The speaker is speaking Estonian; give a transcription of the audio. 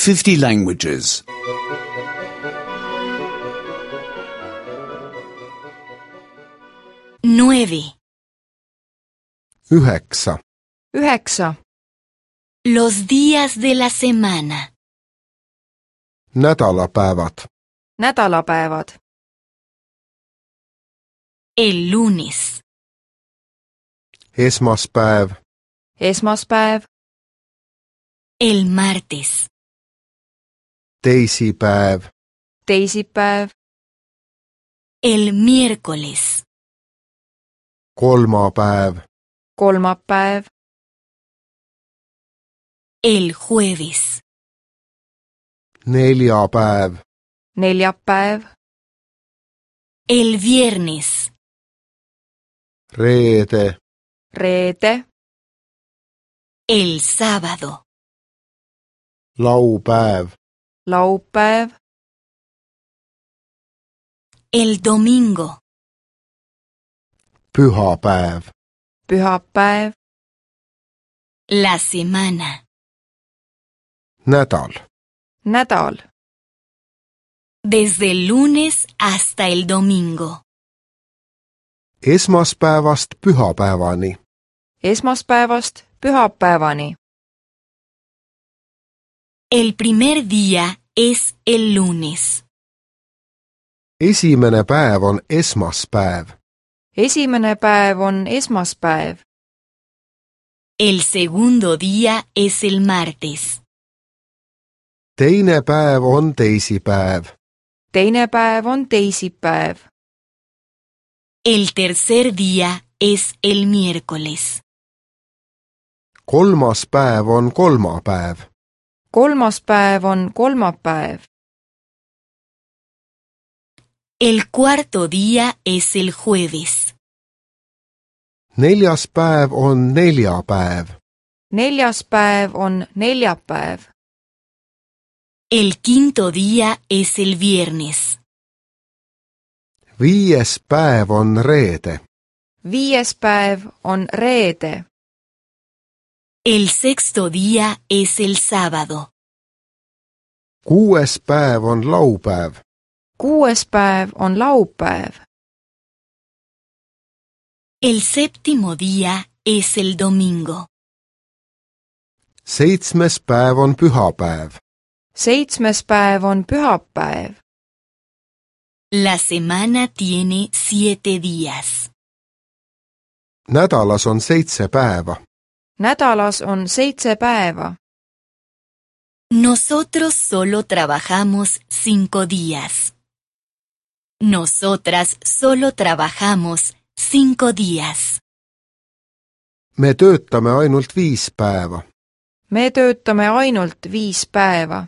50 languages. 9. 9. 9. Los días de la semana. Nädalapäevad. Nädalapäevad. El lunes. Esmaspäev. Esmaspäev. El martes. Teisipäev. Teisipäev. El miércoles. Kolmapäev. Kolmapäev. El jueves. Neljapäev. Neljapäev. El viernes. Reede. Reede. El sábado. Laupäev. Laupäev. El domingo. Pühapäev. Pühapäev. La semana. Nädal. Nädal. Desde el lunes hasta el domingo. Esmaspäevast pühapäevani. Esmaspäevast pühapäevani. El primer día es el lunes. Esimene päev on esmaspäev. Esimene päev on esmaspäev. El segundo día es el martes. Teine päev on teisipäev. Teine päev on teisipäev. El tercer día es el miércoles. Kolmas päev on kolmapäev. Kolmas päev on kolmapäev. El cuarto día es el jueves. Neljas päev on neljapäev. Neljas päev on neljapäev. El quinto día es el viernes. Viies päev on reede. Viies päev on reede. El sexto día es el sábado. Kuues päev on laupäev. Kuues päev on laupäev. El séptimo día es el domingo. Seitsmes päev on pühapäev. Seitsmes päev on pühapäev. La semana tiene 7 días. Nädalas on 7 päeva. Nädalas on 7 päeva. Nosotros solo trabajamos 5 días. Nosotras solo trabajamos 5 días. Me töötame ainult 5 päeva. Me töötame ainult 5 päeva.